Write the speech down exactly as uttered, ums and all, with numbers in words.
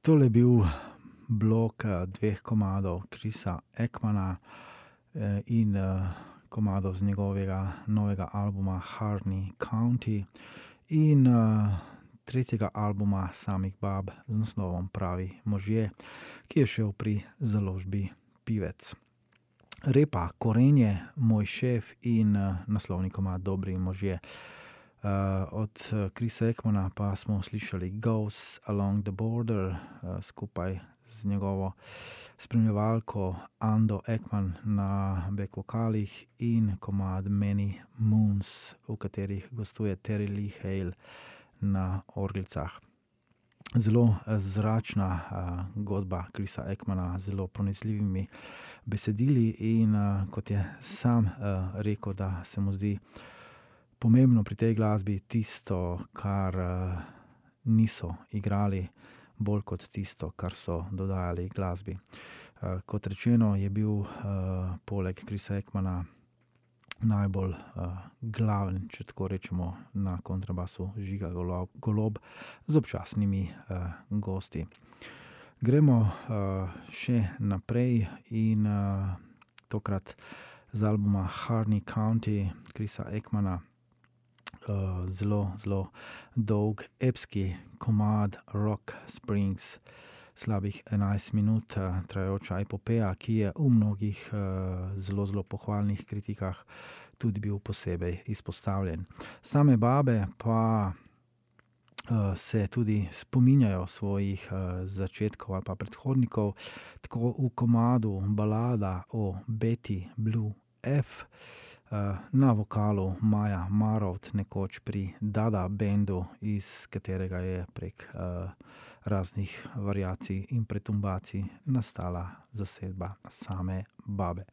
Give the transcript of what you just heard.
Tole je bil blok dveh komadov Chrisa Ekmana in komadov z njegovega novega albuma Harney County in tretjega albuma samih Bab z naslovom Pravi možje, ki je šel pri založbi Pivec. Repa Korenje, Moj šef in naslovni komad Dobri možje. Uh, od Chrisa Ekmana pa smo slišali Ghosts Along the Border uh, skupaj z njegovo spremljevalko Ando Ekman na back vokalih in komad Many Moons, v katerih gostuje Terry Lee Hale na orglicah. Zelo zračna uh, godba Chrisa Ekmana, zelo pronicljivimi besedili in uh, kot je sam uh, rekel, da se mu zdi pomembno pri tej glasbi tisto, kar uh, niso igrali, bolj kot tisto, kar so dodajali glasbi. Uh, kot rečeno, je bil uh, poleg Chrisa Ekmana najbolj uh, glaven, če tako rečemo, na kontrabasu Žiga Golob, Golob z občasnimi uh, gosti. Gremo uh, še naprej in uh, tokrat z albuma Harney County Chrisa Ekmana. Uh, zelo, zelo dolg epski komad Rock Springs, slabih enajst minut uh, trajajoča epopeja, ki je v mnogih uh, zelo, zelo pohvalnih kritikah tudi bil posebej izpostavljen. Same Babe pa uh, se tudi spominjajo svojih uh, začetkov ali pa predhodnikov, tako v komadu balada o Betty Blue F, na vokalu Maja Marovt, nekoč pri Dada bendu, iz katerega je prek uh, raznih variacij in pretumbacij nastala zasedba same Babe.